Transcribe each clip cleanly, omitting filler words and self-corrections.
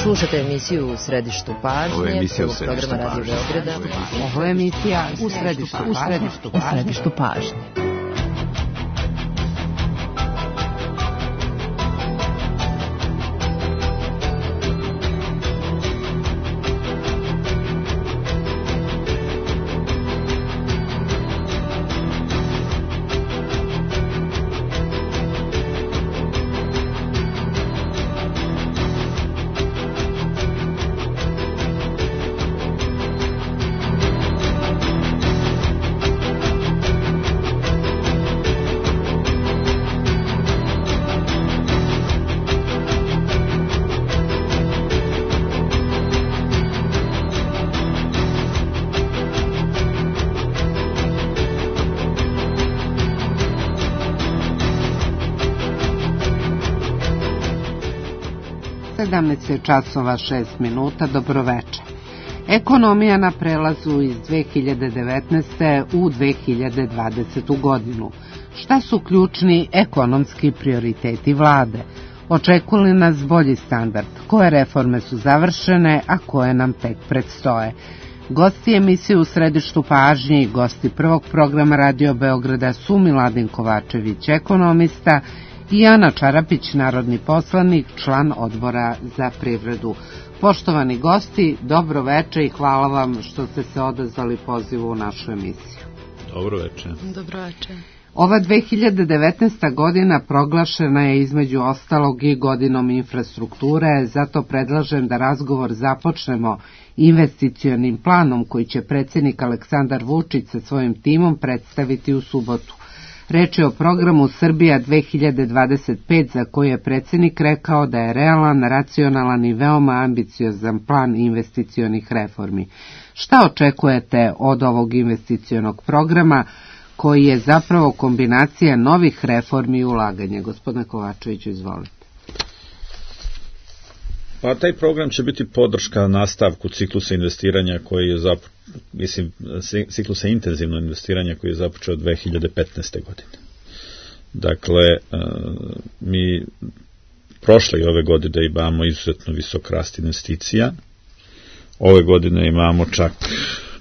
Slušate emisiju U središtu pažnje. Ovo je emisija U središtu programa Radio Beograda. Ovo je emisija U središtu pažnje. Časova 6 minuta, dobroveče. Ekonomija na prelazu iz 2019. u 2020. godinu. Šta su ključni ekonomski prioriteti vlade? Očekuje li nas bolji standard? Koje reforme su završene, a koje nam tek predstoje? Gosti emisije U središtu pažnje i gosti prvog programa Radio Beograda su Miladin Kovačević, ekonomista, i Ana Čarapić, narodni poslanik, član odbora za privredu. Poštovani gosti, dobro veče i hvala vam što ste se odazvali pozivu u našu emisiju. Dobro veče. Dobro veče. Ova 2019. godina proglašena je između ostalog i godinom infrastrukture, zato predlažem da razgovor započnemo investicionim planom koji će predsjednik Aleksandar Vučić sa svojim timom predstaviti u subotu. Reč je o programu Srbija 2025 za koji je predsjednik rekao da je realan, racionalan i veoma ambiciozan plan investicionih reformi. Šta očekujete od ovog investicionog programa koji je zapravo kombinacija novih reformi i ulaganja? Gospodine Kovačeviću, izvolite. Pa taj program će biti podrška nastavku ciklusa investiranja koji je ciklusa intenzivno investiranja koji je započeo 2015. godine. Dakle, mi prošle i ove godine imamo izuzetno visok rast investicija. Ove godine imamo čak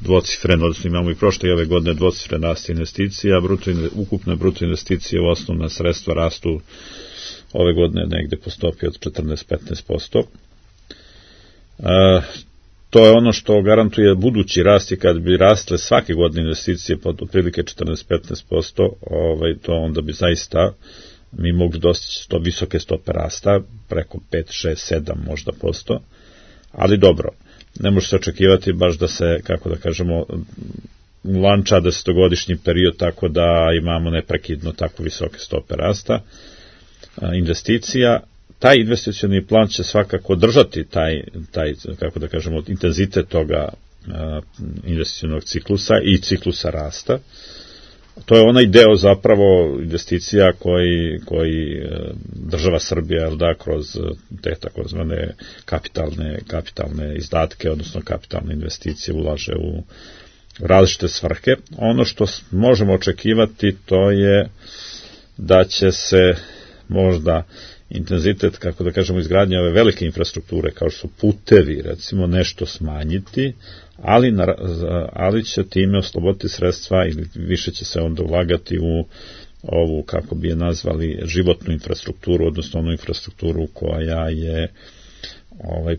dvocifren, odnosno imamo i prošle i ove godine dvocifren rast investicija, ukupne bruto investicije u osnovna sredstva rastu ove godine negde po stopi od 14-15%. To je ono što garantuje budući rast i kad bi rastle svake godine investicije pod otprilike 14-15%, to onda bi zaista mi mogli dostići visoke stope rasta, preko 5, 6, 7 možda posto, ali dobro, ne može se očekivati baš da se, kako da kažemo, lanča 10-godišnji period tako da imamo neprekidno tako visoke stope rasta investicija. Taj investicioni plan će svakako držati taj kako da kažemo, intenzitet toga investicionog ciklusa i ciklusa rasta. To je onaj deo zapravo investicija koji država Srbija kroz te takozvane kapitalne izdatke, odnosno kapitalne investicije ulaže u različite svrhe. Ono što možemo očekivati to je da će se možda intenzitet, kako da kažemo, izgradnje ove velike infrastrukture, kao što su putevi, recimo, nešto smanjiti, ali će time osloboditi sredstva ili više će se onda ulagati u ovu, kako bi je nazvali, životnu infrastrukturu, odnosno onu infrastrukturu koja je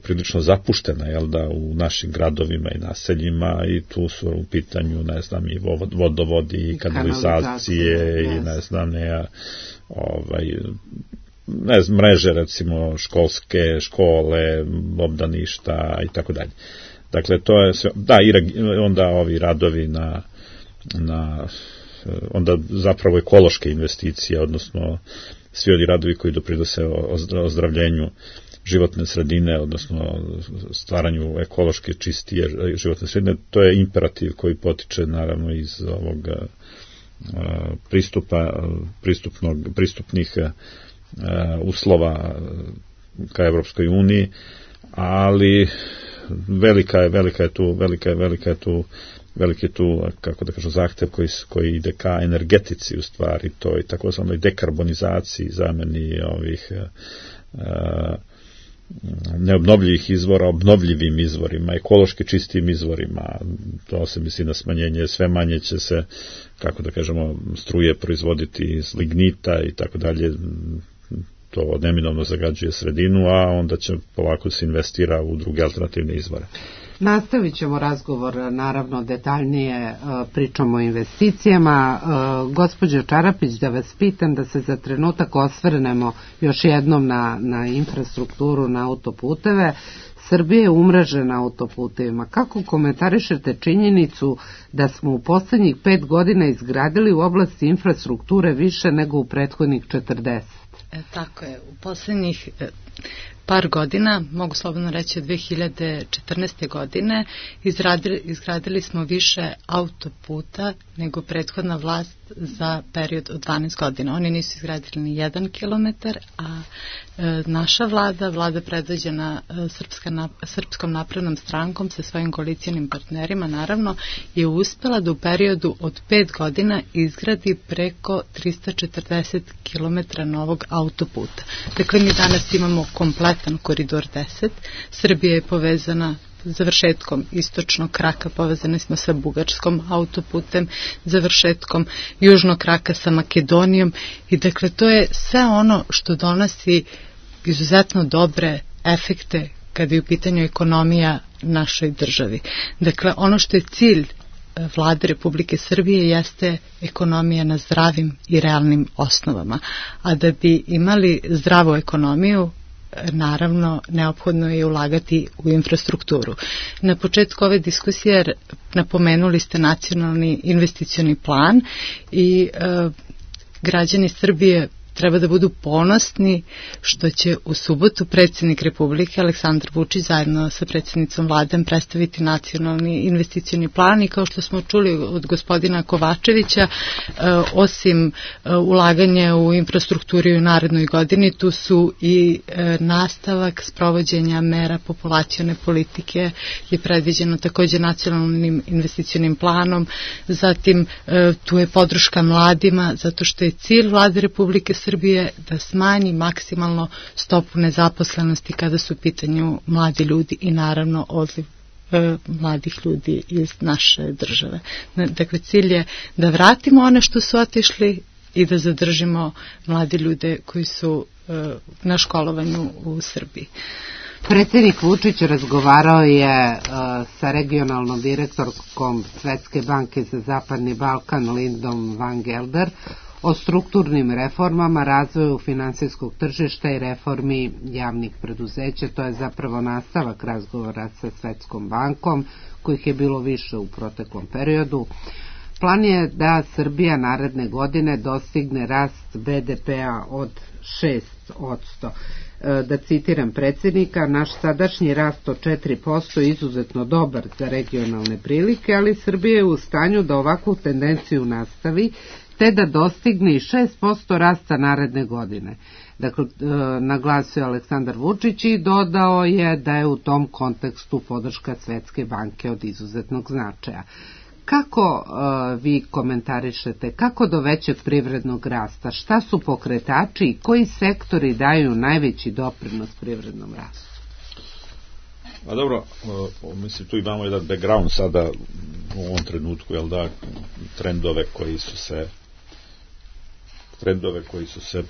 prilično zapuštena, u našim gradovima i naseljima, i tu su u pitanju, i vodovodi i kanalizacije i mreže, recimo školske, škole, obdaništa i tako dalje. Dakle, to je sve, onda ovi radovi onda zapravo ekološke investicije, odnosno svi ovi radovi koji doprinose ozdravljenju životne sredine, odnosno stvaranju ekološke čistije životne sredine, to je imperativ koji potiče naravno iz ovog pristupnih uslova ka Evropskoj uniji, ali velika je tu, kako da kažem, zahtev koji ide ka energetici, u stvari, to je takozvanoj dekarbonizaciji, zameni ovih neobnovljivih izvora obnovljivim izvorima, ekološki čistim izvorima. To se misli na smanjenje, sve manje će se, kako da kažemo, struje proizvoditi iz lignita i tako dalje. To neminovno zagađuje sredinu, a onda će polako se investira u druge alternativne izvore. Nastavit ćemo razgovor, naravno detaljnije pričamo o investicijama. Gospođo Čarapić, da vas pitam, da se za trenutak osvrnemo još jednom na infrastrukturu, na autoputeve. Srbija je umrežena autoputevima. Kako komentarišete činjenicu da smo u poslednjih 5 godina izgradili u oblasti infrastrukture više nego u prethodnih 40? Tako je, u poslednjih par godina, mogu slobodno reći od 2014. godine, izgradili smo više autoputa nego prethodna vlast za period od 12 godina. Oni nisu izgradili ni 1 kilometar, a naša vlada predvođena Srpskom naprednom strankom sa svojim koalicijonim partnerima, naravno, je uspela da u periodu od 5 godina izgradi preko 340 kilometra novog autoputa. Dakle, mi danas imamo kompletan koridor 10. Srbija je povezana završetkom istočnog kraka, povezani smo sa bugarskom autoputem, završetkom južnog kraka sa Makedonijom i dakle to je sve ono što donosi izuzetno dobre efekte kada je u pitanju ekonomija našoj državi. Dakle, ono što je cilj Vlade Republike Srbije jeste ekonomija na zdravim i realnim osnovama, a da bi imali zdravu ekonomiju, naravno, neophodno je ulagati u infrastrukturu. Na početku ove diskusije napomenuli ste nacionalni investicioni plan i građani Srbije treba da budu ponosni što će u subotu predsjednik Republike Aleksandar Vučić zajedno sa predsjednicom Vlade predstaviti nacionalni investicioni plan i kao što smo čuli od gospodina Kovačevića, osim ulaganja u infrastrukturu u narednoj godini, tu su i nastavak sprovođenja mera populacione politike je predviđeno također nacionalnim investicionim planom, zatim tu je podrška mladima zato što je cilj Vlade Republike Srbije da smanji maksimalno stopu nezaposlenosti kada su u pitanju mladi ljudi i naravno odliv mladih ljudi iz naše države. Dakle, cilj je da vratimo one što su otišli i da zadržimo mlade ljude koji su na školovanju u Srbiji. Predsjednik Vučić razgovarao je sa regionalnom direktorkom Svetske banke za Zapadni Balkan Lindom Van Gelder o strukturnim reformama, razvoju finansijskog tržišta i reformi javnih preduzeća. To je zapravo nastavak razgovora sa Svetskom bankom, kojih je bilo više u proteklom periodu. Plan je da Srbija naredne godine dostigne rast BDP-a od 6%. Da citiram predsjednika, naš sadašnji rast od 4% je izuzetno dobar za regionalne prilike, ali Srbija je u stanju da ovakvu tendenciju nastavi, te da dostigne i 6% rasta naredne godine. Dakle, naglasio Aleksandar Vučić i dodao je da je u tom kontekstu podrška Svetske banke od izuzetnog značaja. Kako vi komentarišete, kako do većeg privrednog rasta, šta su pokretači i koji sektori daju najveći doprinos privrednom rastu? A dobro, mislim, tu imamo jedan background sada u ovom trenutku, jel da, trendove koji su se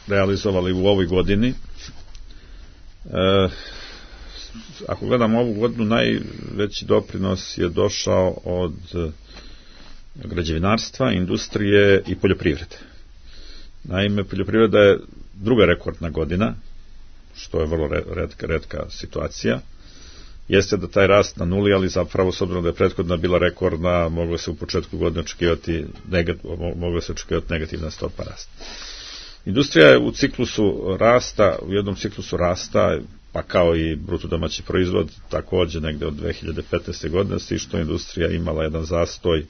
realizovali u ovoj godini. Ako gledamo ovu godinu, najveći doprinos je došao od građevinarstva, industrije i poljoprivrede. Naime, poljoprivreda je druga rekordna godina, što je vrlo retka situacija. Jeste da taj rast na nuli, ali zapravo s obzirom da je prethodna bila rekordna, moglo se u početku godine očekivati negativna stopa rasta. Industrija je u ciklusu rasta, u jednom ciklusu rasta, pa kao i bruto domaći proizvod, također negde od 2015. godine, s što je industrija imala jedan zastoj,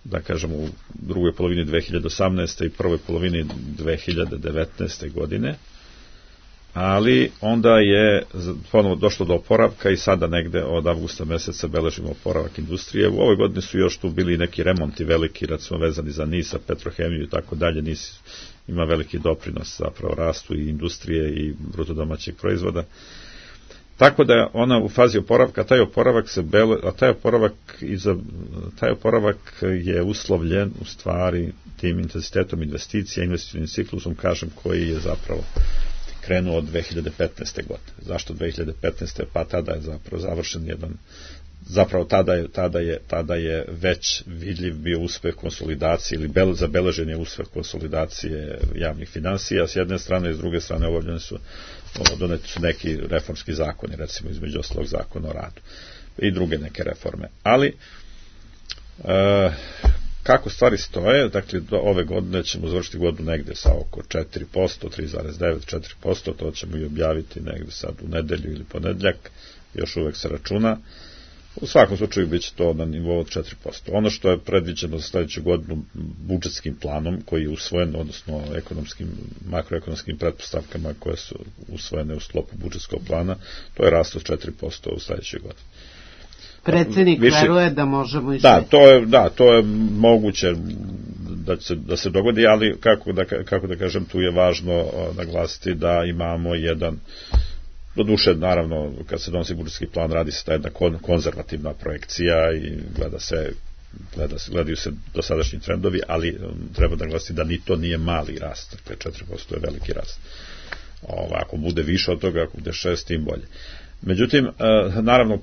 da kažem, u drugoj polovini 2018. i prvoj polovini 2019. godine. ali onda je ponovo došlo do oporavka i sada negde od avgusta meseca beležimo oporavak industrije. U ovoj godini su još tu bili neki remonti veliki, recimo vezani za NIS, Petrohemiju i tako dalje. NIS ima veliki doprinos zapravo rastu i industrije i bruto domaćeg proizvoda. Tako da ona u fazi oporavka, taj oporavak je uslovljen u stvari tim intenzitetom investicija, investicionim ciklusom, kažem, koji je zapravo krenuo od 2015. godine. Zašto 2015. Pa tada je zapravo završen jedan, zapravo tada je već vidljiv bio uspeh konsolidacije ili zabeležen je uspeh konsolidacije javnih finansija s jedne strane i s druge strane doneti su neki reformski zakoni, recimo između ostalog zakon o radu i druge neke reforme. Ali kako stvari stoje, dakle ove godine ćemo završiti godinu negde sa oko 4%, 3,9, 4%, to ćemo i objaviti negde sad u nedelju ili ponedjeljak, još uvek se računa. U svakom slučaju bit će to na nivou od 4%. Ono što je predviđeno za sledeću godinu budžetskim planom, koji je usvojen, odnosno makroekonomskim pretpostavkama koje su usvojene u sklopu budžetskog plana, to je rast od 4% u sledećoj godini. Predsjednik veruje da možemo i to je moguće da se dogodi, ali kako da kažem, tu je važno naglasiti da imamo jedan, doduše, naravno, kad se donosi budžetski plan, radi se ta jedna konzervativna projekcija i gledaju se dosadašnji trendovi, ali treba da naglasiti da ni to nije mali rast, dakle 4% je veliki rast. Ako bude više od toga, ako bude 6, tim bolje. Međutim, naravno,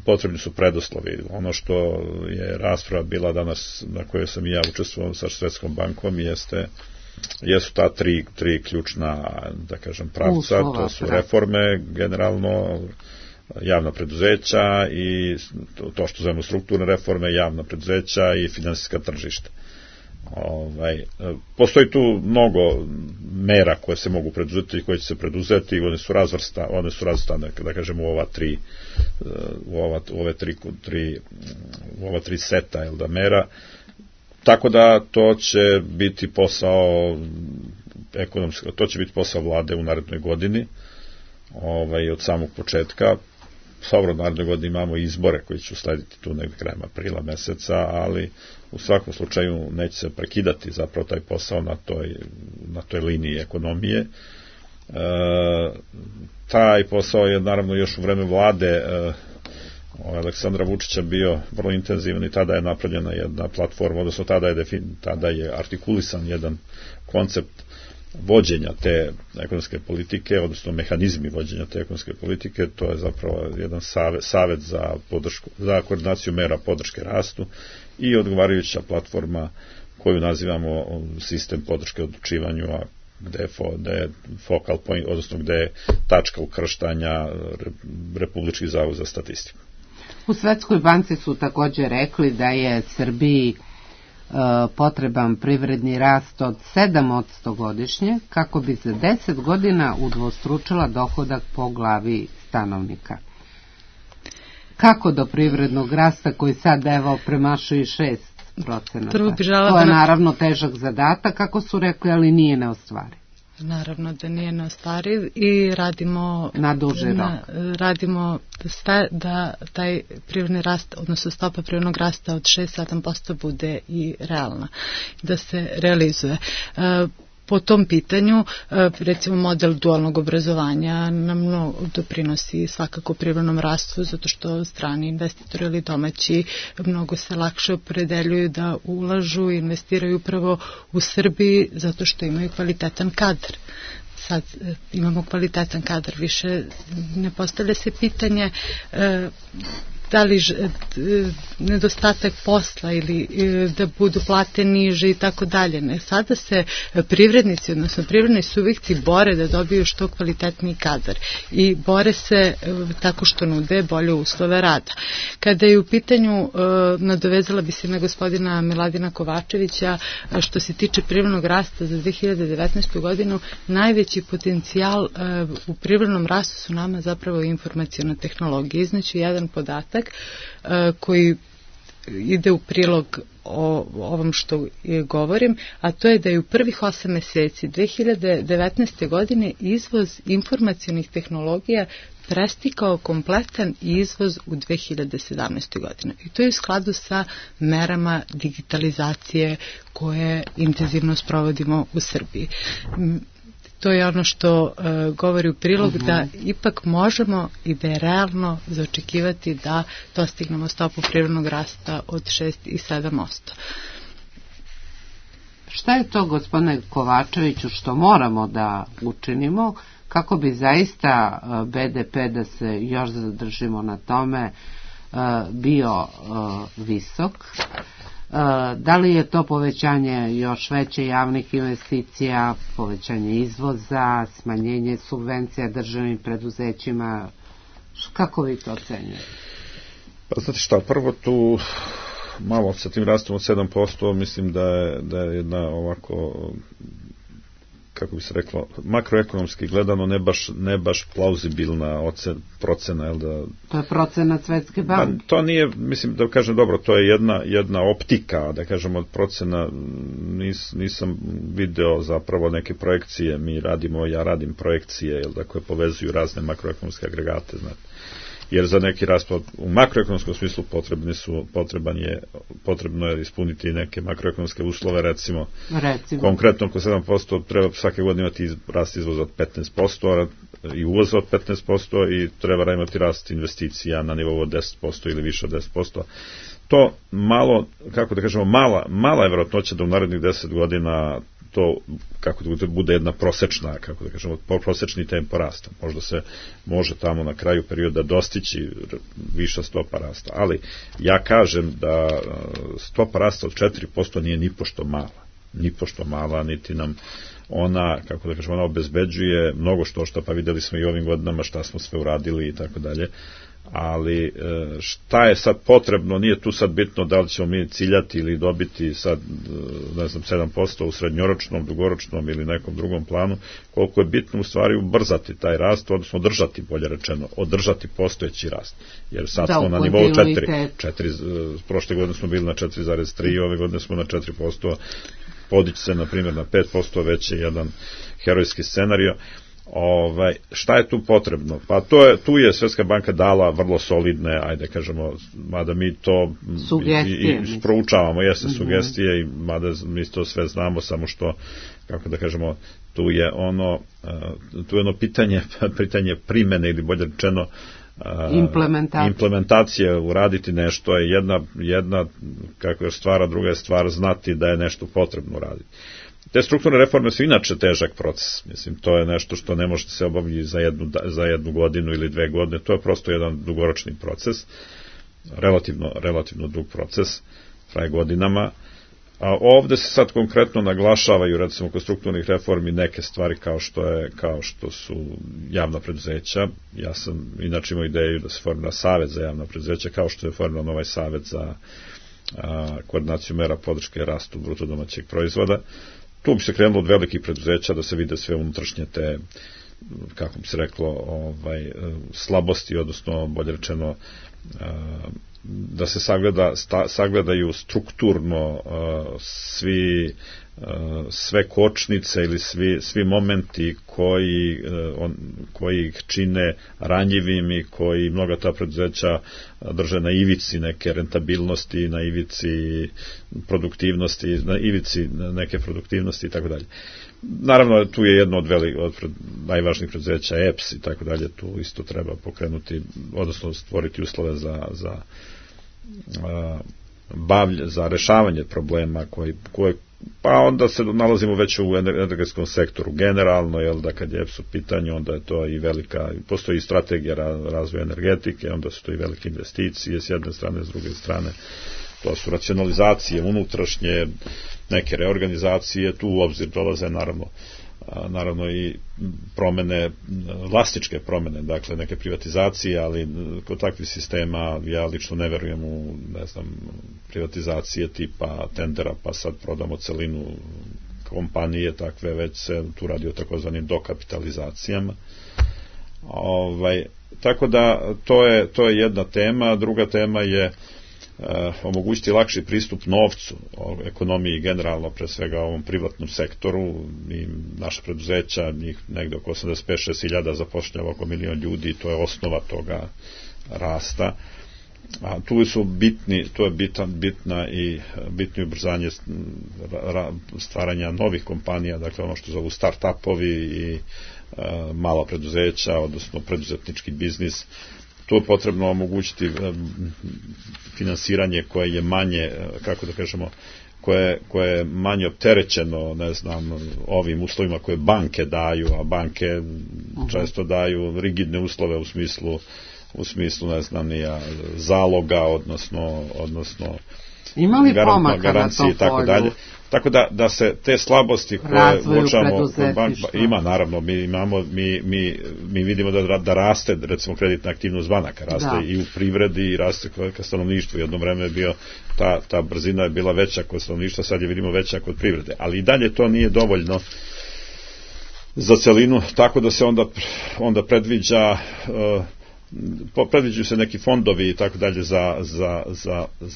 potrebni su preduslovi. Ono što je rasprava bila danas, na kojoj sam i ja učestvovao sa Svetskom bankom, jesu ta tri ključna, da kažem, pravca, to su reforme, generalno, javna preduzeća i to što zovemo strukturne reforme, javna preduzeća i finansijska tržišta. Postoji tu mnogo mera koje se mogu preduzeti i koje će se preduzeti, one su razvrstane, da kažem, u ova tri seta mera. Tako da to će biti posao ekonomski, to će biti posao vlade u narednoj godini, od samog početka. Dobro, u narednoj godini imamo izbore koji će uslediti tu negde krajem aprila meseca, ali u svakom slučaju neće se prekidati zapravo taj posao na toj liniji ekonomije. Taj posao je naravno još u vreme vlade Aleksandra Vučića bio vrlo intenzivan i tada je napravljena jedna platforma, odnosno tada je artikulisan jedan koncept vođenja te ekonomske politike, odnosno mehanizmi vođenja te ekonomske politike. To je zapravo jedan savet za koordinaciju mera podrške rastu i odgovarajuća platforma koju nazivamo sistem podrške odlučivanju, gde je focal point, odnosno gde je tačka ukrštanja Republički zavod za statistiku. U Svetskoj banci su također rekli da je Srbiji potreban privredni rast od 7% godišnje kako bi za 10 godina udvostručila dohodak po glavi stanovnika. Kako do privrednog rasta koji sad premašuje 6%? To je naravno težak zadatak, kako su rekli, ali nije neostvariv. Naravno da nije neostvariv i radimo na duži rok. Radimo da taj privredni rast, odnosno stopa privrednog rasta od 6-7% bude i realna, da se realizuje. Po tom pitanju, recimo, model dualnog obrazovanja nam doprinosi svakako privrednom rastu, zato što strani investitori ili domaći mnogo se lakše opredeljuju da ulažu i investiraju upravo u Srbiji, zato što imaju kvalitetan kadar. Sad imamo kvalitetan kadar, više ne postavlja se pitanje da li nedostatak posla ili da budu plate niže i tako dalje. Sada se privrednici, odnosno privredni subjekti bore da dobiju što kvalitetniji kadar i bore se tako što nude bolje uslove rada. Kada je u pitanju, nadovezala bi se na gospodina Miladina Kovačevića, što se tiče privrednog rasta za 2019. godinu, najveći potencijal u privrednom rastu su nama zapravo informaciona tehnologija. Izneću jedan podatak koji ide u prilog o ovom što govorim, a to je da je u prvih 8 meseci 2019. godine izvoz informacionih tehnologija prestikao kompletan izvoz u 2017. godine. I to je u skladu sa merama digitalizacije koje intenzivno sprovodimo u Srbiji. To je ono što govori u prilog da ipak možemo i da je realno zaočekivati da dostignemo stopu privrednog rasta od 6 i 7%. Šta je to, gospodine Kovačeviću, što moramo da učinimo kako bi zaista BDP, da se još zadržimo na tome, bio visok? Da li je to povećanje još veće javnih investicija, povećanje izvoza, smanjenje subvencija državnim preduzećima? Kako vi to ocenjujete? Pa znate šta, prvo tu malo sa tim rastom od 7%, mislim da je jedna ovako, kako bi se reklo, makroekonomski gledano ne baš plauzibilna procena, jel da... To je procenat Svetske banke. To nije, mislim da kažem dobro, to je jedna optika, da kažem od procena, nisam video zapravo neke projekcije, ja radim projekcije, jel da, koje povezuju razne makroekonomske agregate, znate. Jer za neki rast u makroekonomskom smislu potrebno je ispuniti neke makroekonomske uslove, recimo. Konkretno oko 7% treba svake godine imati rast izvoza od 15% i uvoza od 15% i treba imati rast investicija na nivou od 10% ili više od 10%. To malo, kako da kažemo, mala je vjerojatnoća da u narednih 10 godina to, kako da bude jedna prosečna, kako da kažemo, prosečni tempo rasta. Možda se može tamo na kraju perioda dostići viša stopa rasta. Ali ja kažem da stopa rasta od 4% nije ni pošto mala, niti nam ona, kako da kažemo, ona obezbeđuje mnogo što, pa videli smo i ovim godinama šta smo sve uradili i tako dalje. Ali šta je sad potrebno, nije tu sad bitno da li ćemo mi ciljati ili dobiti sad, ne znam, 7% u srednjoročnom, dugoročnom ili nekom drugom planu, koliko je bitno u stvari ubrzati taj rast, odnosno održati postojeći rast. Jer sad smo na nivou 4, prošle godine smo bili na 4,3, ove godine smo na 4%, podići se na primjer na 5%, već je jedan herojski scenario. Šta je tu potrebno? Pa tu je Svetska banka dala vrlo solidne, ajde kažemo, mada mi to i proučavamo, jeste sugestije, i mada mi to sve znamo, samo što, kako da kažemo, tu je ono pitanje primene, ili bolje rečeno implementacije, uraditi nešto je jedna kako je stvar, a druga je stvar znati da je nešto potrebno raditi. Te strukturne reforme su inače težak proces, mislim, to je nešto što ne može se obaviti za jednu godinu ili 2 godine, to je prosto jedan dugoročni proces, relativno dug proces, traje godinama, a ovde se sad konkretno naglašavaju, recimo, kod strukturnih reformi neke stvari kao što su javna preduzeća. Ja sam inače imao ideju da se formira savet za javna preduzeća, kao što je formiran ovaj savet za koordinaciju mera podrške rastu bruto domaćeg proizvoda. Tu bi se krenulo od velikih preduzeća da se vide sve unutrašnje te, kako bi se reklo, slabosti, odnosno bolje rečeno da se sagledaju strukturno sve kočnice ili svi momenti koji ih čine ranjivim i koji mnoga ta preduzeća drže na ivici neke rentabilnosti, na ivici produktivnosti, na ivici neke produktivnosti i tako dalje. Naravno, tu je jedno od najvažnijih preduzeća, EPS i tako dalje, tu isto treba pokrenuti, odnosno stvoriti uslove za rešavanje problema koje pa onda se nalazimo već u energetskom sektoru generalno, jel da kad je EPS u pitanju, onda je to i postoji strategija razvoja energetike, onda su to i velike investicije s jedne strane, s druge strane to su racionalizacije unutrašnje, neke reorganizacije, tu u obzir dolaze naravno i promene, vlasničke promene, dakle neke privatizacije, ali kod takvih sistema ja lično ne verujem u, privatizacije tipa tendera, pa sad prodamo celinu kompanije, takve, već se tu radi o takozvanim dokapitalizacijama. Tako da to je jedna tema. Druga tema je omogućiti lakši pristup novcu, ekonomiji generalno, pre svega ovom privatnom sektoru. I naša preduzeća, njih negde oko 85-6 hiljada zapošljava oko 1 milion ljudi, to je osnova toga rasta. A tu su to je bitno ubrzanje stvaranja novih kompanija, dakle ono što zovu start-upovi i mala preduzeća, odnosno preduzetnički biznis. Tu je potrebno omogućiti finansiranje koje je manje, kako da kažemo, koje je manje opterećeno, ne znam, ovim uslovima koje banke daju, a banke često daju rigidne uslove u smislu, ne znam, zaloga, odnosno ima li pomaka na tom polju? Tako da se te slabosti koje uočavamo ima, naravno, mi vidimo da raste, recimo, kreditna aktivnost banaka, raste i u privredi i raste ka stanovništvu. Jedno vreme je bio, ta brzina je bila veća kod stanovništva, sad je vidimo veća kod privrede, ali i dalje to nije dovoljno za celinu, tako da se onda predviđaju se neki fondovi i tako dalje za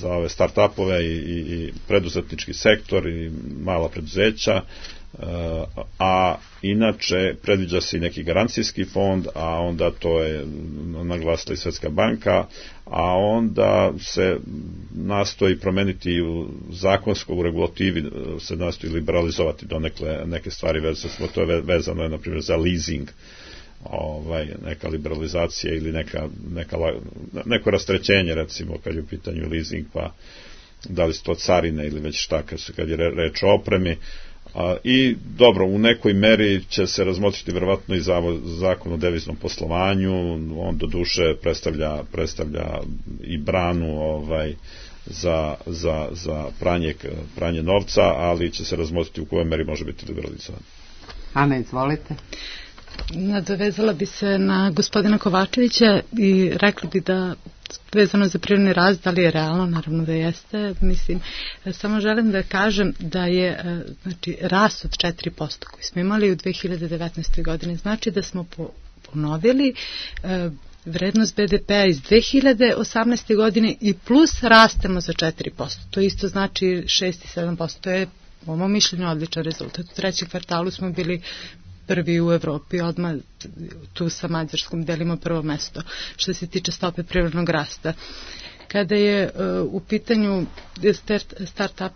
ove start-upove i preduzetnički sektor i mala preduzeća, a inače predviđa se i neki garancijski fond, a onda to je naglasila i Svetska banka, a onda se nastoji promeniti u zakonskoj regulativi, se nastoji liberalizovati donekle neke stvari, to je vezano je na primjer za leasing, neka liberalizacija ili neko rastrećenje, recimo kad je u pitanju leasing, pa da li su to carine ili već šta kad je reč o opremi. I dobro, u nekoj meri će se razmotriti verovatno i zakon o deviznom poslovanju, on do duše predstavlja i branu za pranje novca, ali će se razmotriti u kojoj meri može biti liberalizovan. Ana, izvolite. Nadovezala bi se na gospodina Kovačevića i rekla bi da vezano za privredni rast, da li je realno, naravno da jeste, mislim, samo želim da kažem da je rast od 4% koji smo imali u 2019. godini, znači da smo ponovili vrednost BDP-a iz 2018. godine i plus rastemo za 4%, to isto znači 6 i 7%, to je po mom mišljenju odličan rezultat. U trećem kvartalu smo bili prvi u Evropi, odmah tu sa Mađarskom delimo prvo mesto što se tiče stope privrednog rasta. Kada je u pitanju start-up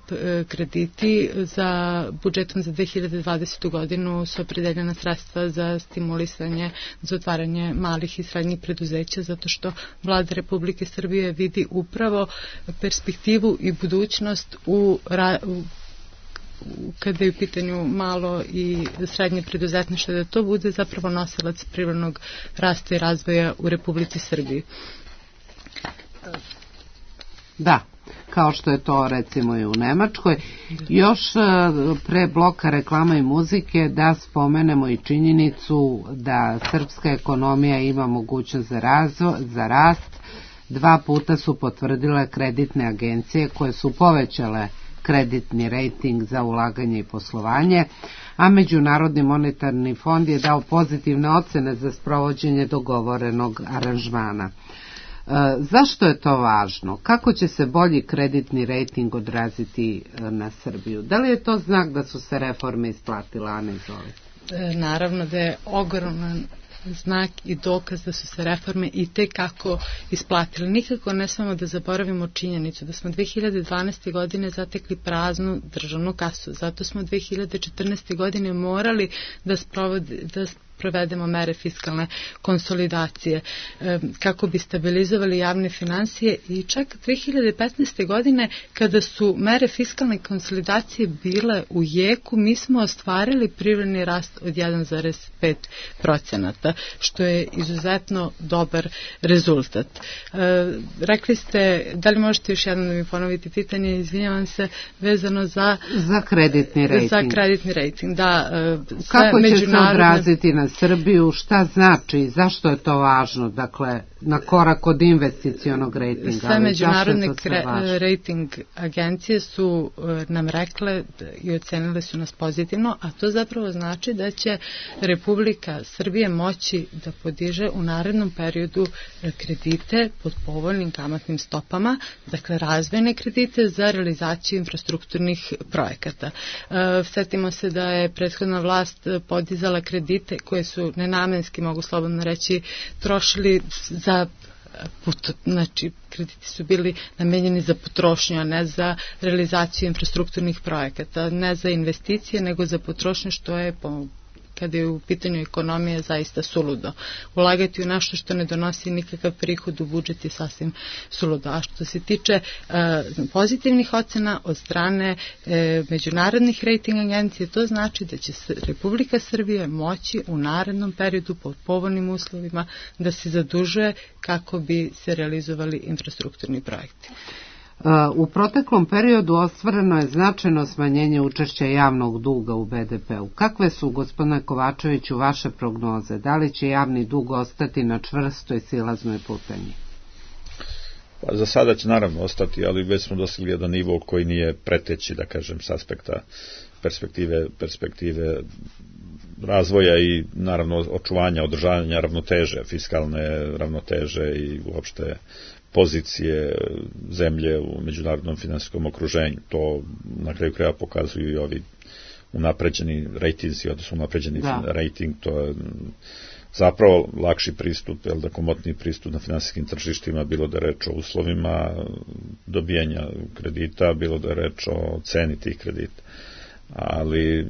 krediti, za budžetom za 2020. godinu su opredeljena sredstva za stimulisanje, za otvaranje malih i srednjih preduzeća, zato što Vlada Republike Srbije vidi upravo perspektivu i budućnost kada je u pitanju malo i srednje preduzetništvo, da to bude zapravo nosilac privrednog rasta i razvoja u Republici Srbiji. Da, kao što je to recimo i u Nemačkoj. Još pre bloka reklama i muzike da spomenemo i činjenicu da srpska ekonomija ima mogućnost za rast. 2 puta su potvrdile kreditne agencije koje su povećale kreditni rejting za ulaganje i poslovanje, a Međunarodni monetarni fond je dao pozitivne ocene za sprovođenje dogovorenog aranžmana. Zašto je to važno? Kako će se bolji kreditni rejting odraziti na Srbiju? Da li je to znak da su se reforme isplatile, Ana, izvolite? Naravno da je ogroman znak i dokaz da su se reforme i tekako isplatile. Nikako ne smemo da zaboravimo činjenicu da smo 2012. godine zatekli praznu državnu kasu. Zato smo 2014. godine morali da provedemo mere fiskalne konsolidacije kako bi stabilizovali javne finansije i čak 2015. godine kada su mere fiskalne konsolidacije bile u jeku, mi smo ostvarili privredni rast od 1,5%, što je izuzetno dobar rezultat. Rekli ste, da li možete još jednom da mi ponoviti pitanje, izvinjavam se, vezano za kreditni rejting. Za kreditni rejting, da. Kako će se odraziti na Srbiju, šta znači i zašto je to važno, dakle, na korak od investicionog rejtinga. Sve međunarodne rejting agencije su nam rekle i ocenile su nas pozitivno, a to zapravo znači da će Republika Srbije moći da podiže u narednom periodu kredite pod povoljnim kamatnim stopama, dakle razvojne kredite za realizaciju infrastrukturnih projekata. Setimo se da je prethodna vlast podizala kredite koje su nenamenski, mogu slobodno reći, trošili za znači krediti su bili namenjeni za potrošnju, a ne za realizaciju infrastrukturnih projekata, ne za investicije, nego za potrošnju, što je kada je u pitanju ekonomije zaista suludo. Ulagati u nešto što ne donosi nikakav prihod u budžet je sasvim suludo. A što se tiče pozitivnih ocena od strane međunarodnih rejting agencije, to znači da će Republika Srbije moći u narednom periodu pod povoljnim uslovima da se zadužuje kako bi se realizovali infrastrukturni projekti. U proteklom periodu ostvareno je značajno smanjenje učešća javnog duga u BDP-u. Kakve su, gospodine Kovačeviću, vaše prognoze? Da li će javni dug ostati na čvrstoj silaznoj putanji? Pa za sada će naravno ostati, ali već smo dosegli jedan nivo koji nije preteći, da kažem, s aspekta perspektive razvoja i naravno očuvanja, održavanja ravnoteže, fiskalne ravnoteže i uopšte pozicije zemlje u međunarodnom finansijskom okruženju. To na kraju kraja pokazuju i ovi unapređeni rejtinzi, odnosno unapređeni rejting, to je zapravo lakši pristup, komotniji pristup na finansijskim tržištima, bilo da je reč o uslovima dobijanja kredita, bilo da je reč o ceni tih kredita. Ali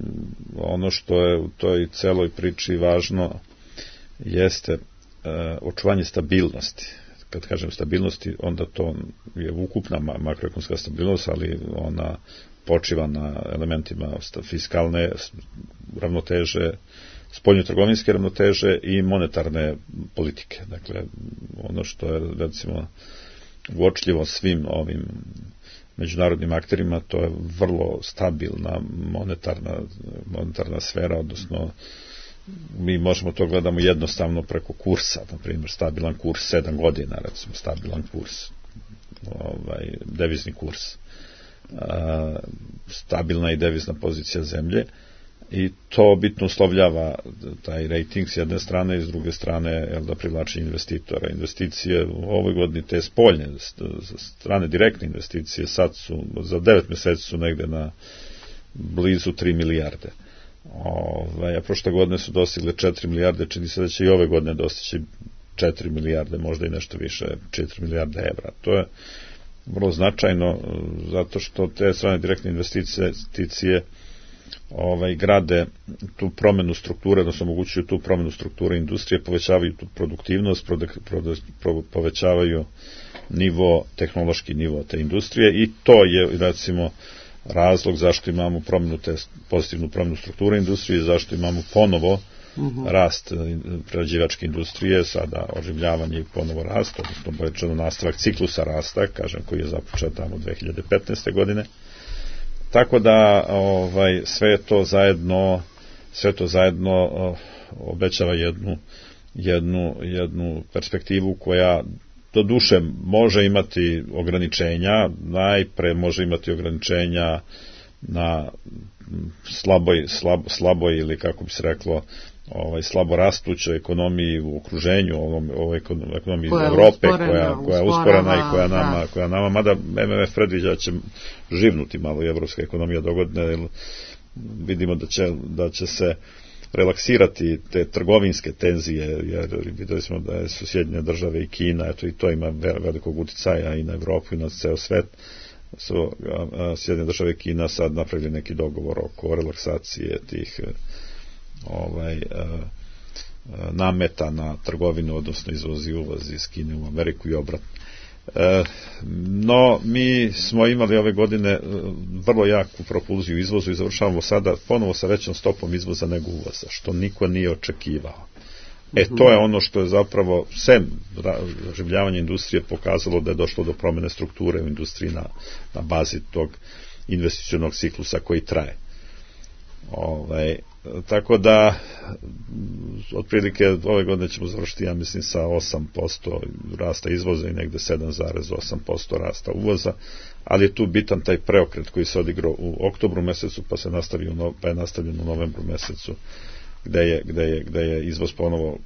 ono što je u toj celoj priči važno jeste očuvanje stabilnosti. Kad kažem stabilnosti, onda to je ukupna makroekonomska stabilnost, ali ona počiva na elementima fiskalne ravnoteže, spoljnotrgovinske ravnoteže i monetarne politike. Dakle, ono što je, recimo, uočljivo svim ovim međunarodnim akterima, to je vrlo stabilna monetarna sfera, odnosno mi možemo to gledamo jednostavno preko kursa, na primjer stabilan kurs 7 godina, recimo stabilan kurs, devizni kurs, stabilna i devizna pozicija zemlje, i to bitno uslovljava taj rating s jedne strane i s druge strane da privlači investitora. Investicije u ovoj godini, te spoljne strane, direktne investicije, sad su, za 9 mjeseci su negde na blizu 3 milijarde. A prošle godine su dostigle 4 milijarde, čini se da će i ove godine dostići 4 milijarde, možda i nešto više, 4 milijarde evra. To je vrlo značajno, zato što te strane direktne investicije grade tu promenu strukture, odnosno omogućuju tu promenu strukture industrije, povećavaju tu produktivnost, povećavaju tehnološki nivo te industrije, i to je, recimo, razlog zašto imamo pozitivnu promenu strukture industrije, zašto imamo ponovo rast prerađivačke industrije, sada oživljavanje i ponovo rast, odnosno povećano nastavak ciklusa rasta, kažem, koji je započet tamo 2015. godine. Tako da sve to zajedno obećava jednu perspektivu koja do duše može imati ograničenja, najpre može imati ograničenja na slaboj ili, kako bi se reklo, slabo rastućoj ekonomiji u okruženju, ovoj ekonomiji Evrope, koja je usporena i koja nama, mada MMF predviđa da će živnuti malo i evropska ekonomija dogodine, jer vidimo da će se relaksirati te trgovinske tenzije, jer videli smo da su Sjedinjene države i Kina, eto, i to ima velikog uticaja i na Evropu i na ceo svet. Su Sjedinjene države i Kina sad napravili neki dogovor oko relaksacije tih nameta na trgovinu, odnosno izvoz i uvoz iz Kine u Ameriku i obratno. No, mi smo imali ove godine vrlo jaku propulziju izvozu i završavamo sada ponovo sa većom stopom izvoza nego uvoza, što niko nije očekivao. To je ono što je zapravo, sem oživljavanja industrije, pokazalo da je došlo do promene strukture u industriji na bazi tog investicionog ciklusa koji traje. Tako da otprilike ove godine ćemo završiti, ja mislim, sa 8% rasta izvoza i negde 7,8% rasta uvoza, ali je tu bitan taj preokret koji se odigrao u oktobru mesecu, pa je nastavljen u novembru mesecu, gde je izvoz ponovo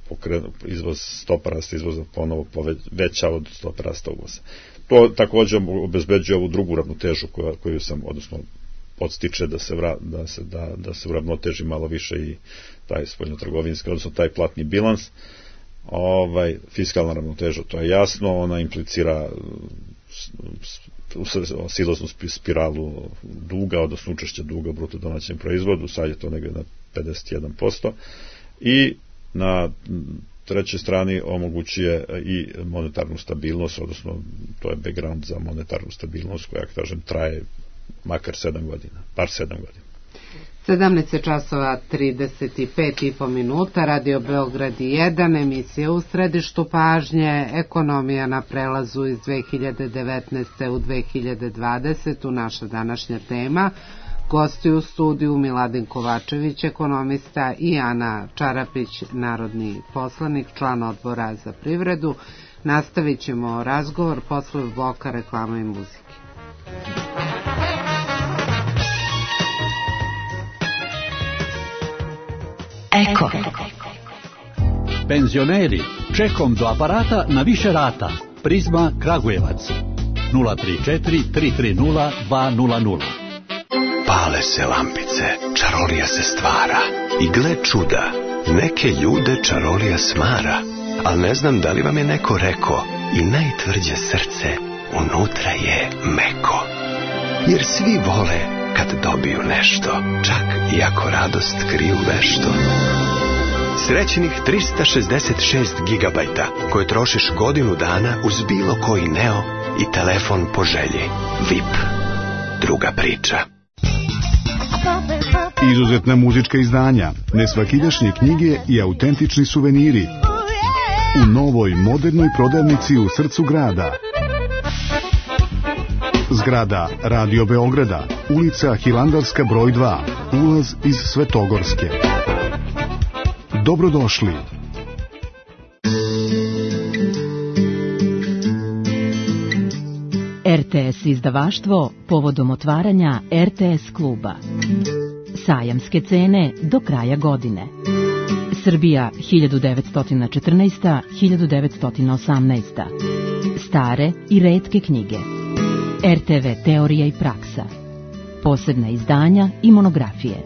stopa rasta izvoza ponovo veća od stopa rasta uvoza. To također obezbeđuje ovu drugu ravnotežu koju sam, odnosno podstiče da se uravnoteži malo više i taj spoljnotrgovinski, odnosno taj platni bilans. Fiskalna ravnoteža, to je jasno, ona implicira silaznu spiralu duga, odnosno učešće duga u bruto domaćem proizvodu, sad je to negdje na 51%, i na trećoj strani omogućuje i monetarnu stabilnost, odnosno to je background za monetarnu stabilnost koja, kažem, traje makar 7 godina, bar 7 godina. 17 časova 35,5 minuta, Radio Beograd 1, emisija u središtu pažnje, ekonomija na prelazu iz 2019. u 2020. Naša današnja tema. Gosti u studiju Miladin Kovačević, ekonomista, i Ana Čarapić, narodni poslanik, član odbora za privredu. Nastavit ćemo razgovor posle bloka reklama i muzike. Eko. Penzioneri, čekom do aparata na više rata. Prizma Kragujevac 034 330 200. Pale se lampice, čarolija se stvara. I gle čuda, neke ljude čarolija smara. Al ne znam da li vam je neko reko, i najtvrđe srce unutra je meko. Jer svi vole kad dobiju nešto, čak i ako radost kriju vešto. Srećnih 366 gigabajta koje trošiš godinu dana uz bilo koji Neo i telefon po želji. VIP. Druga priča. Izuzetna muzička izdanja, nesvakidašnje knjige i autentični suveniri u novoj modernoj prodavnici u srcu grada. Zgrada Radio Beograda, ulica Hilandarska broj 2, ulaz iz Svetogorske. Dobrodošli. RTS izdavaštvo povodom otvaranja RTS kluba. Sajamske cene do kraja godine. Srbija 1914-1918. Stare i retke knjige. RTV teorija i praksa. Posebna izdanja i monografije.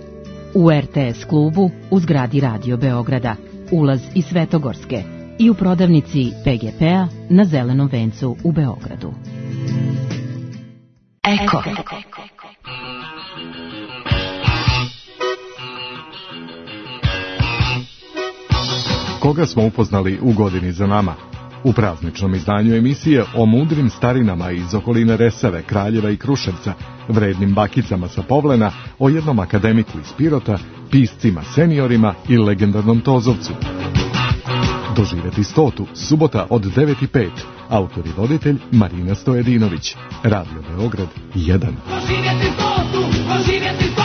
U RTS klubu u zgradi Radio Beograda, ulaz iz Svetogorske, i u prodavnici PGP-a na Zelenom vencu u Beogradu. Eko. Koga smo upoznali u godini za nama? U prazničnom izdanju emisije o mudrim starinama iz okoline Resave, Kraljeva i Kruševca, vrednim bakicama sa Povlena, o jednom akademiku iz Pirota, piscima seniorima i legendarnom Tozovcu. Doživjeti 100. subota od 9:05. Autor i voditelj Marina Stojedinović. Radio Beograd 1. Doživjeti 100. Doživjeti 100.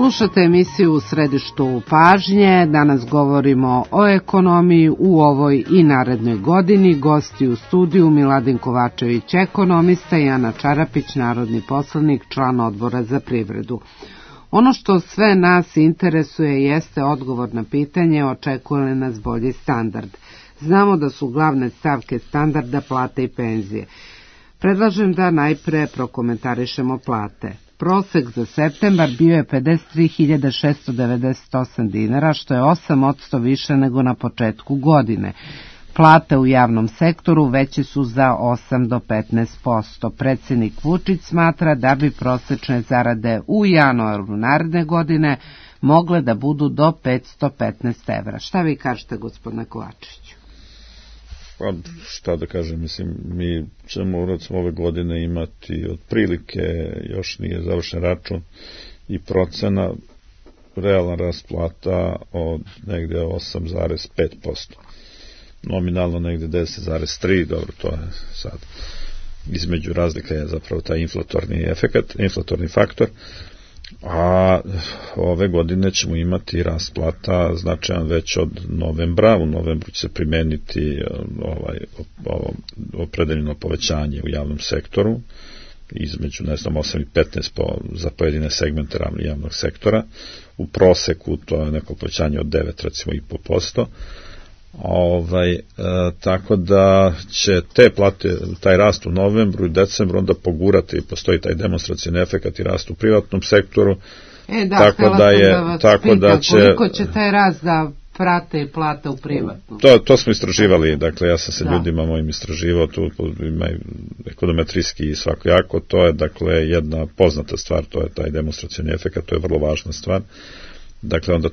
Slušate emisiju U središtu pažnje. Danas govorimo o ekonomiji u ovoj i narednoj godini. Gosti u studiju Miladin Kovačević, ekonomista, i Ana Čarapić, narodni poslanik, član Odbora za privredu. Ono što sve nas interesuje jeste odgovor na pitanje očekuje li nas bolji standard. Znamo da su glavne stavke standarda plate i penzije. Predlažem da najpre prokomentarišemo plate. Prosek za septembar bio je 53.698 dinara, što je 8% više nego na početku godine. Plate u javnom sektoru veće su za 8 do 15%. Predsjednik Vučić smatra da bi prosečne zarade u januaru naredne godine mogle da budu do 515 evra. Šta vi kažete, gospodine Kovačeviću? Pa, šta da kažem, mislim, mi ćemo recimo ove godine imati otprilike, još nije završen račun, i procena realna rast plata od negde 8,5%. Nominalno negde 10,3%, dobro, to je sad. Između razlika je zapravo taj inflatorni faktor, a ove godine ćemo imati rast plata značajan već od novembra. U novembru će se primeniti opredeljeno povećanje u javnom sektoru, između 8 i 15 za pojedine segmente javnog sektora. U proseku to je neko povećanje od 9, recimo, i po posto. Tako da će te plate, taj rast u novembru i decembru onda pogurati, postoji taj demonstracijni efekat i rast u privatnom sektoru. Tako da će, koliko će taj rast da prate i plata u privatnom? To smo istraživali, dakle ja sam se ljudima mojim istraživao, tu ima ekonometrijski i svakojako, to je dakle jedna poznata stvar, to je taj demonstracijni efekat, to je vrlo važna stvar. Dakle, onda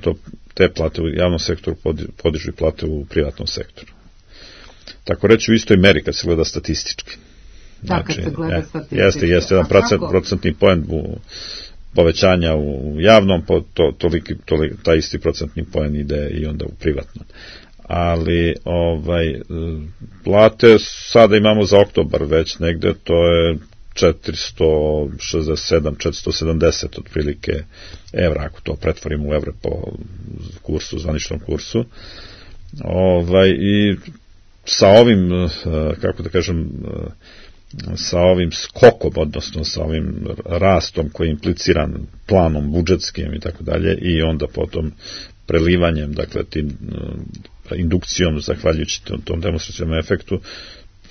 te plate u javnom sektoru podižu i plate u privatnom sektoru. Tako reći u istoj meri kad se gleda statistički. Kad se gleda statistički. Jeste jedan procentni poen povećanja u javnom, taj isti procentni poen ide i onda u privatnom. Ali plate sada imamo za oktobar već negde, to je 467-470 otprilike evra, ako to pretvorimo u evre po kursu, zvaničnom kursu. I sa ovim, kako da kažem, sa ovim skokom, odnosno sa ovim rastom koji je impliciran planom budžetskim i tako dalje, i onda potom prelivanjem, dakle, tim indukcijom, zahvaljujući tom demonstracijnom efektu,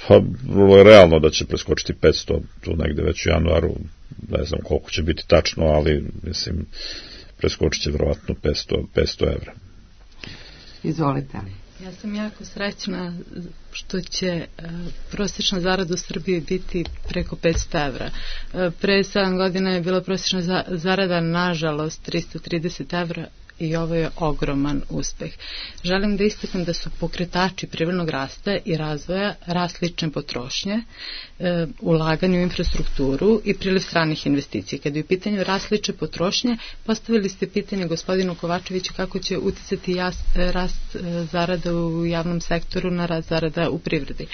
pa vrlo je realno da će preskočiti 500 tu negde već u januaru, ne znam koliko će biti tačno, ali mislim preskočit će verovatno 500 evra. Izvolite. Ja sam jako srećna što će prosječna zarada u Srbiji biti preko 500 evra. Pre 7 godina je bila prosječna zarada, nažalost, 330 evra, i ovo je ogroman uspeh. Želim da istaknem da su pokretači privrednog rasta i razvoja rast lične potrošnje, ulaganje u infrastrukturu i priliv stranih investicija. Kada je u pitanju rast lične potrošnje, postavili ste pitanje gospodinu Kovačeviću kako će uticati rast zarada u javnom sektoru na rast zarada u privredi.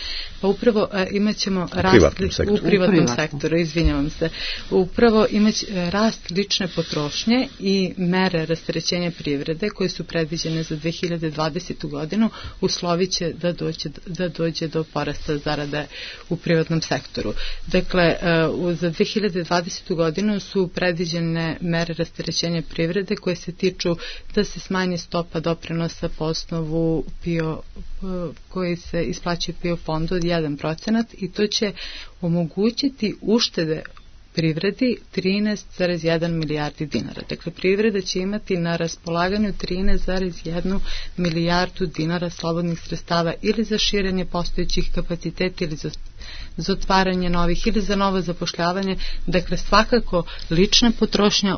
Pa upravo imaćemo rast u privatnom sektoru, izvinjavam se. Upravo imaće rast lične potrošnje i mere rasterećenja privrede koje su predviđene za 2020. godinu usloviće da dođe do porasta zarade u privatnom sektoru. Dakle, za 2020. godinu su predviđene mere rasterećenja privrede koje se tiču da se smanji stopa doprinosa po osnovu koji se isplaćuje PIO fondu od 1% i to će omogućiti uštede privredi 13,1 milijardi dinara. Dakle, privreda će imati na raspolaganju 13,1 milijardu dinara slobodnih sredstava ili za širenje postojećih kapaciteta ili za otvaranje novih ili za novo zapošljavanje. Dakle, svakako lična potrošnja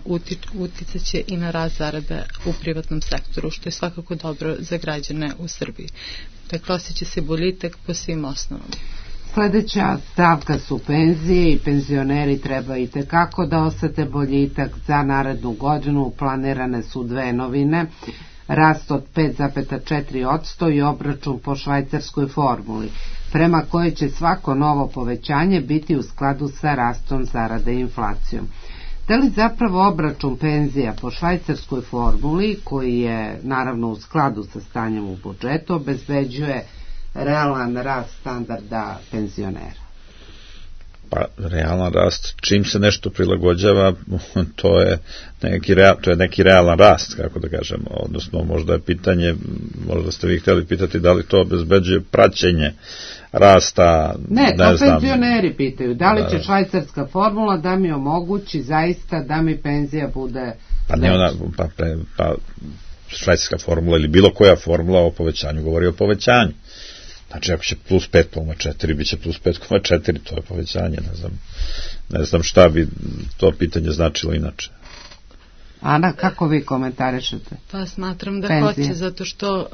uticaće i na rast zarada u privatnom sektoru, što je svakako dobro za građane u Srbiji. Dakle, osjeća se boljitak po svim osnovama. Sljedeća stavka su penzije i penzioneri treba i tekako da osete boljitak. Za narednu godinu planirane su dve novine, rast od 5,4% i obračun po švajcarskoj formuli, prema kojoj će svako novo povećanje biti u skladu sa rastom zarade i inflacijom. Da li zapravo obračun penzija po švajcarskoj formuli, koji je naravno u skladu sa stanjem u budžetu, obezbeđuje realan rast standarda penzionera? Pa, realan rast, čim se nešto prilagođava, to je neki realan rast, kako da kažemo, odnosno možda je pitanje, možda ste vi htjeli pitati da li to obezbeđuje praćenje rasta, ne to znam, penzioneri pitaju, da li će švajcarska formula da mi omogući zaista da mi penzija bude pa ne ona, pa švajcarska formula ili bilo koja formula o povećanju govori o povećanju. Znači, ako će plus 5,4, bit će plus 5,4, to je povećanje, ne znam šta bi to pitanje značilo inače. Ana, kako vi komentarišete? Pa smatram da penzije? Hoće, zato što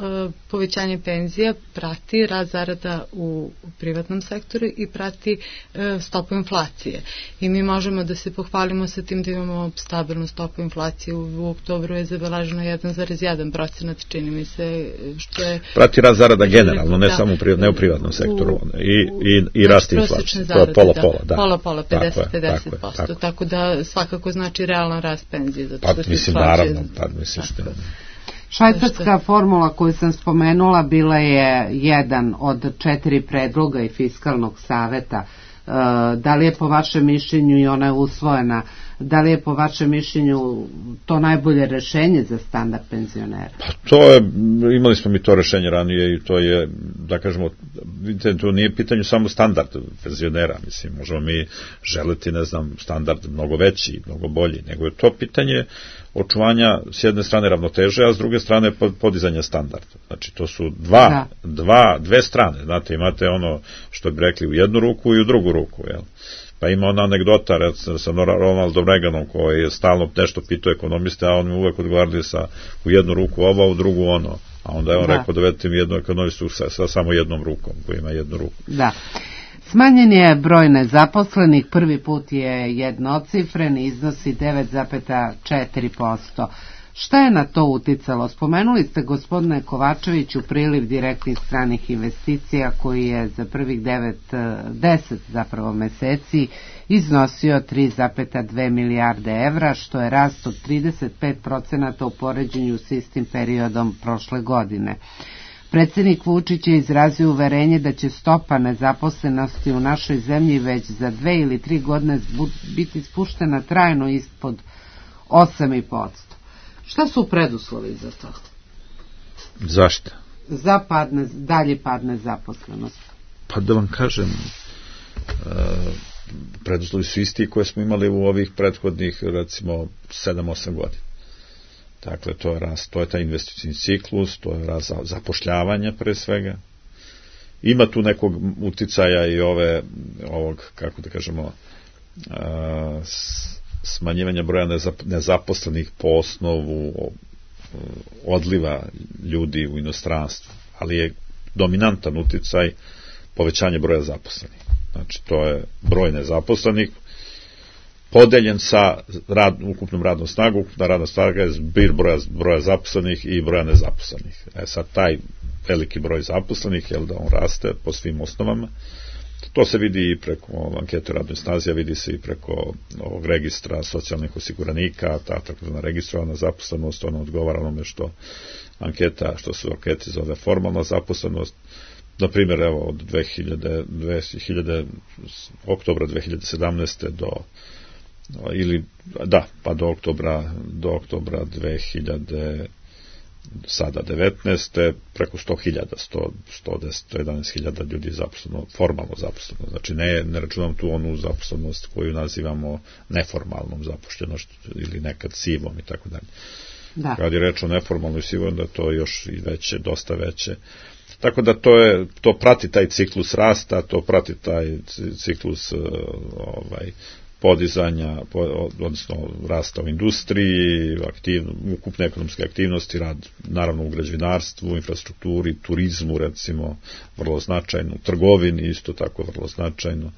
povećanje penzija prati rast zarada u privatnom sektoru i prati stopu inflacije. I mi možemo da se pohvalimo sa tim da imamo stabilnu stopu inflacije. U oktobru je zabeleženo 1,1%, čini mi se, što je... Prati rast zarada generalno, ne samo ne u privatnom sektoru. I rast inflacije. To je pola-pola, da. Pola-pola, 50%. Tako da svakako znači realan rast penzije, zato mislim, naravno, mislim što... Švajcarska formula koju sam spomenula bila je jedan od 4 predloga i fiskalnog saveta. Da li je po vašem mišljenju, i ona je usvojena, da li je po vašem mišljenju to najbolje rešenje za standard penzionera? Pa to je, imali smo mi to rešenje ranije i to je, da kažemo, vidite, to nije pitanje samo standard penzionera, mislim, možemo mi želiti, ne znam, standard mnogo veći, mnogo bolji, nego je to pitanje očuvanja s jedne strane ravnoteže, a s druge strane podizanja standarda. Znači, to su dve strane, znate, imate ono što bi rekli u jednu ruku i u drugu ruku, jel? Pa ima ona anegdota sa Ronaldom Reaganom koji je stalno nešto pitao ekonomiste, a on mi uvek odgovarali u jednu ruku ovo, a u drugu ono. A onda je on rekao da vedete mi jednu ekonomistu sa samo jednom rukom, koji ima jednu ruku. Da. Smanjen je broj nezaposlenih, prvi put je jednocifren, iznosi 9,4%. Šta je na to uticalo? Spomenuli ste, gospodine Kovačeviću, priliv direktnih stranih investicija koji je za prvih 10 meseci iznosio 3,2 milijarde evra, što je rast od 35% u poređenju s istim periodom prošle godine. Predsjednik Vučić je izrazio uverenje da će stopa nezaposlenosti u našoj zemlji već za 2 ili 3 godine biti spuštena trajno ispod 8,5%. Šta su preduslovi za to? Zašto? Za dalji pad nezaposlenosti. Pa da vam kažem, preduslovi su isti koje smo imali u ovih prethodnih, recimo, 7-8 godina. Dakle, to je rast, to je taj investicijni ciklus, to je rast zapošljavanja pre svega. Ima tu nekog uticaja i ovog, kako da kažemo, smanjivanja broja nezaposlenih po osnovu odliva ljudi u inostranstvu, ali je dominantan uticaj povećanje broja zaposlenih. Znači, to je broj nezaposlenih podeljen sa ukupnom radnom snagom. Ukupna radna snaga je zbir broja zaposlenih i broja nezaposlenih. Sad taj veliki broj zaposlenih, da on raste po svim osnovama. To se vidi i preko ankete radnoj snazi, a vidi se i preko ovog registra socijalnih osiguranika, ta takozvana registrovana zaposlenost, ona odgovara onome što se u anketi zove formalna zaposlenost. Na primjer, evo, od oktobra 2017. do oktobra 2019. preko 100.000, 111.000 ljudi je zaposleno, formalno zaposleno. Znači, ne računam tu onu zaposlenost koju nazivamo neformalnom zaposlenošću ili nekad sivom i tako dalje. Kad je reč o neformalnoj sivoj, da to je još i veće, dosta veće. Tako da to prati taj ciklus rasta, to prati taj ciklus podizanja, odnosno rasta u industriji, ukupne ekonomske aktivnosti, rad naravno u građevinarstvu, infrastrukturi, turizmu, recimo, vrlo značajno, trgovini isto tako vrlo značajno,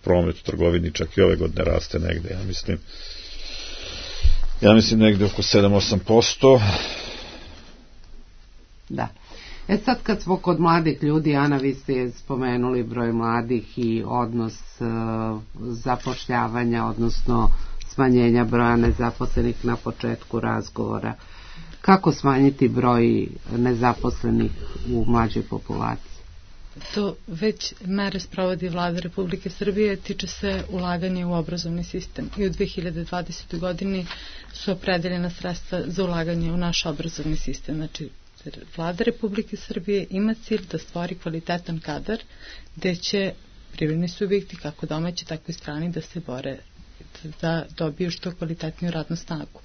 promet u trgovini čak i ove godine raste negde, ja mislim negde oko 7-8%. Da. Sad kad smo kod mladih ljudi, Ana, vi ste spomenuli broj mladih i odnos zapošljavanja, odnosno smanjenja broja nezaposlenih na početku razgovora. Kako smanjiti broj nezaposlenih u mlađoj populaciji? To već mere sprovodi Vlada Republike Srbije, tiče se ulaganja u obrazovni sistem i u 2020. godini su opredeljena sredstva za ulaganje u naš obrazovni sistem. Znači, Vlada Republike Srbije ima cilj da stvori kvalitetan kadar gde će privredni subjekti, kako domaći, tako i strani, da se bore da dobiju što kvalitetniju radnu snagu,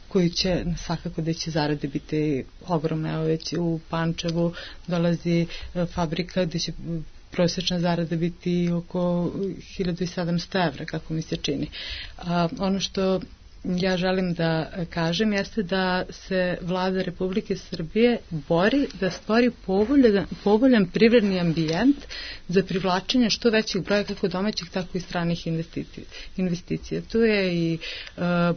koji će svakako da će zarade biti ogromne. Evo već u Pančevu dolazi fabrika gde će prosječna zarada biti oko 1700 evra, kako mi se čini. Ono što ja želim da kažem jeste da se Vlada Republike Srbije bori da stvori povoljan privredni ambijent za privlačenje što većih broja kako domaćih, tako i stranih investicija. Tu je i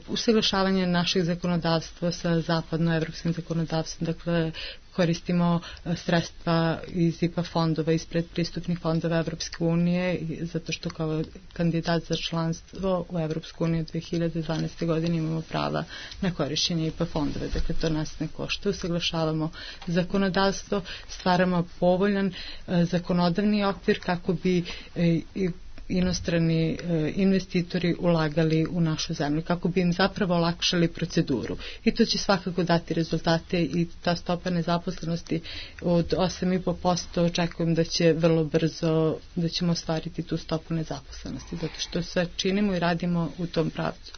usaglašavanje našeg zakonodavstva sa zapadnoevropskim zakonodavstvom, dakle koristimo sredstva iz IPA fondova, iz predpristupnih fondova Evropske unije, zato što kao kandidat za članstvo u Evropsku uniju 2012. godine imamo prava na korišćenje IPA fondova. Dakle, to nas ne košta. Usaglašavamo zakonodavstvo, stvaramo povoljan zakonodavni okvir kako bi inostrani investitori ulagali u našu zemlju, kako bi im zapravo olakšali proceduru. I to će svakako dati rezultate i ta stopa nezaposlenosti od 8,5% očekujem da će vrlo brzo, da ćemo ostvariti tu stopu nezaposlenosti, zato što sve činimo i radimo u tom pravcu.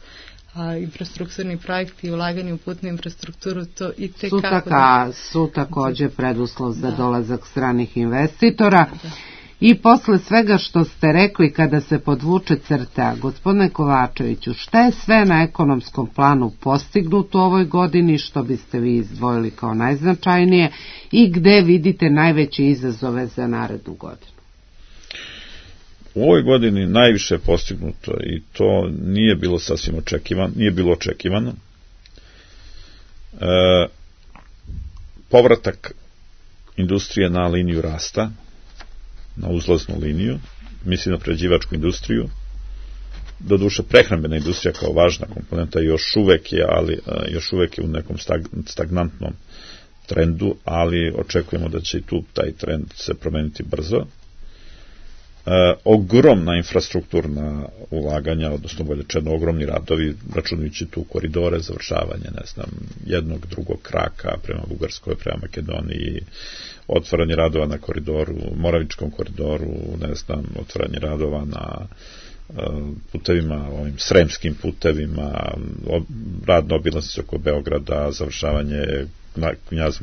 A infrastrukturni projekti i ulaganje u putnu infrastrukturu to i tekako su takođe preduslov za dolazak stranih investitora. I posle svega što ste rekli, kada se podvuče crta, gospodine Kovačeviću, šta je sve na ekonomskom planu postignuto u ovoj godini, što biste vi izdvojili kao najznačajnije i gde vidite najveće izazove za narednu godinu? U ovoj godini najviše je postignuto i to nije bilo sasvim očekivano. Povratak industrije na liniju rasta, na uzlaznu liniju, mislim na prerađivačku industriju, doduše prehrambena industrija kao važna komponenta još uvek je u nekom stagnantnom trendu, ali očekujemo da će i tu taj trend se promeniti brzo. Ogromna infrastrukturna ulaganja, odnosno bolje rečeno ogromni radovi, računajući tu koridore, završavanje, jednog, drugog kraka prema Bugarskoj, prema Makedoniji, otvaranje radova na koridoru, Moravičkom koridoru, otvaranje radova na putevima, ovim sremskim putevima, rad na obilaznici oko Beograda, završavanje Knjaz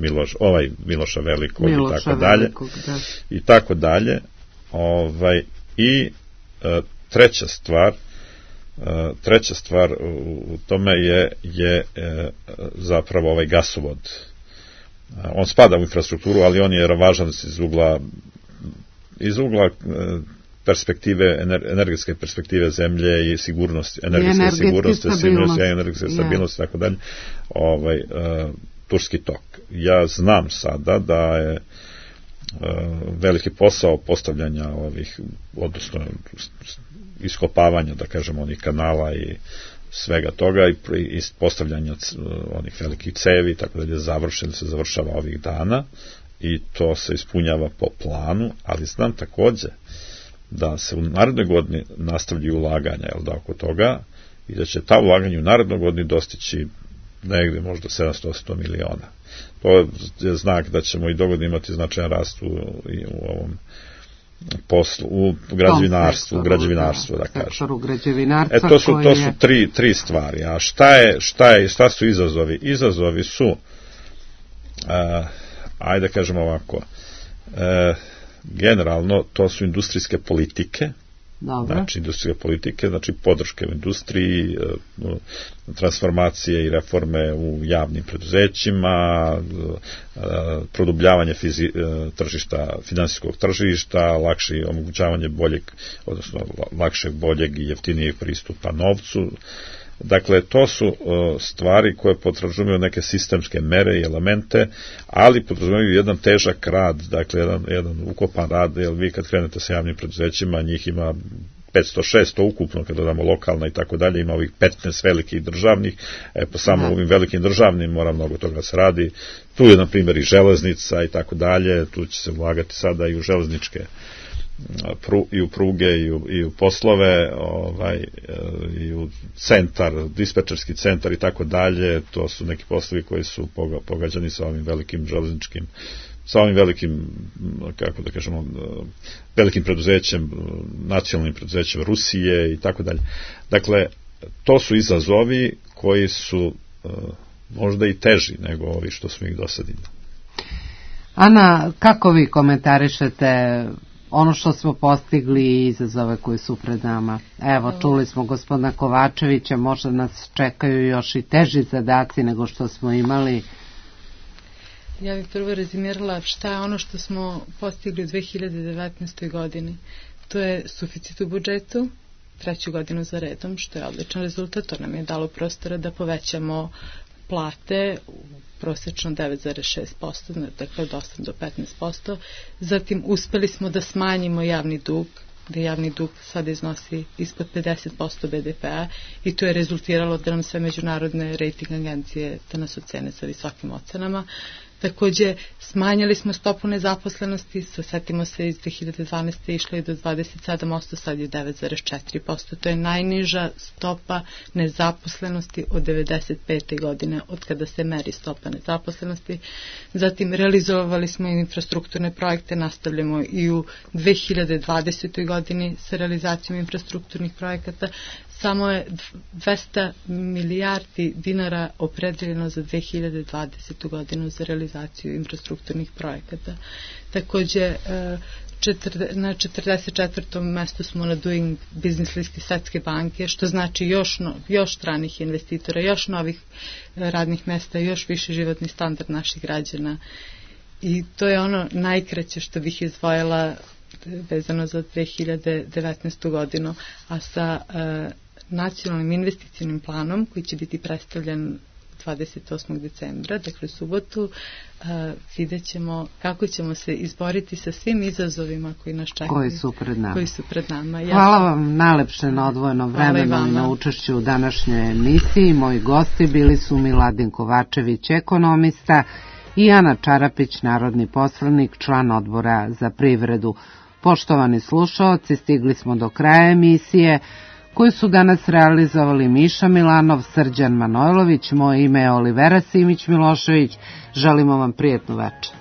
Miloša Velikog i tako dalje. I treća stvar u tome je zapravo ovaj gasovod. On spada u infrastrukturu, ali on je važan iz ugla perspektive, energetske perspektive zemlje i sigurnosti, energetske stabilnosti, tako dalje, Turski tok. Ja znam sada da je veliki posao postavljanja odnosno iskopavanja, da kažemo, onih kanala i svega toga i postavljanja onih velikih cevi, tako da je se završava ovih dana i to se ispunjava po planu, ali znam takođe da se u narednoj godini nastavljaju ulaganja, oko toga, i da će ta ulaganja u narednoj godini dostići negde možda 700 miliona. To je znak da ćemo i dogodine imati značajan rast u ovom poslu, u građevinarstvu, da kažem. To su tri stvari. A šta su izazovi? Izazovi su, ajde kažemo ovako, generalno to su industrijske politike. Znači podrške u industriji, transformacije i reforme u javnim preduzećima, produbljavanje finansijskog tržišta, omogućavanje boljeg i jeftinijeg pristupa novcu, Dakle, to su stvari koje potražuju neke sistemske mere i elemente, ali potražuju jedan težak rad, dakle jedan ukopan rad, jer vi kad krenete sa javnim preduzećima, njih ima 500-600 ukupno, kada dodamo lokalna i tako dalje, ima ovih 15 velikih državnih, po samo ovim velikim državnim mora mnogo toga se radi. Tu je, na primjer, i železnica i tako dalje, tu će se ulagati sada i u železničke i u pruge i u poslove, i u centar, dispečerski centar i tako dalje. To su neki poslovi koji su pogađani sa ovim velikim železničkim, sa ovim velikim, kako da kažemo, velikim preduzećem, nacionalnim preduzećem Rusije i tako dalje. Dakle, to su izazovi koji su možda i teži nego ovi što smo ih do sad imali. Ana, kako vi komentarišete ono što smo postigli i izazove koji su pred nama? Evo, čuli smo gospodina Kovačevića, možda nas čekaju još i teži zadaci nego što smo imali. Ja bih prvo rezimirala šta je ono što smo postigli u 2019. godini. To je suficit u budžetu, 3. godinu za redom, što je odličan rezultat. To nam je dalo prostora da povećamo plate prosečno 9,6%, dakle od 8 do 15%. Zatim uspeli smo da smanjimo javni dug, da javni dug sada iznosi ispod 50% BDP-a i to je rezultiralo da nam sve međunarodne rating agencije da nas ocene sa visokim ocenama. Takođe, smanjili smo stopu nezaposlenosti, setimo se iz 2012. išlo je do 27%, sad je 9,4%. To je najniža stopa nezaposlenosti od 95. godine, od kada se meri stopa nezaposlenosti. Zatim, realizovali smo infrastrukturne projekte, nastavljamo i u 2020. godini sa realizacijom infrastrukturnih projekata. Samo je 200 milijardi dinara opredeljeno za 2020. godinu za realizaciju infrastrukturnih projekata. Takođe, na 44. mestu smo na Doing Business listi Svetske banke, što znači još stranih investitora, još novih radnih mesta, još više životni standard naših građana. I to je ono najkraće što bih izdvojila vezano za 2019. godinu, a sa nacionalnim investicijnim planom koji će biti predstavljen 28. decembra, dakle subotu, vidjet ćemo kako ćemo se izboriti sa svim izazovima koji nas čekaju. Koji su pred nama. Hvala vam najlepše na odvojeno vremenu i na učešću u današnjoj emisiji. Moji gosti bili su Miladin Kovačević, ekonomista, i Ana Čarapić, narodni poslanik, član odbora za privredu. Poštovani slušaoci, stigli smo do kraja emisije koju su danas realizovali Miša Milanov, Srđan Manojlović, moje ime je Olivera Simić Milošević. Želimo vam prijatnu večer.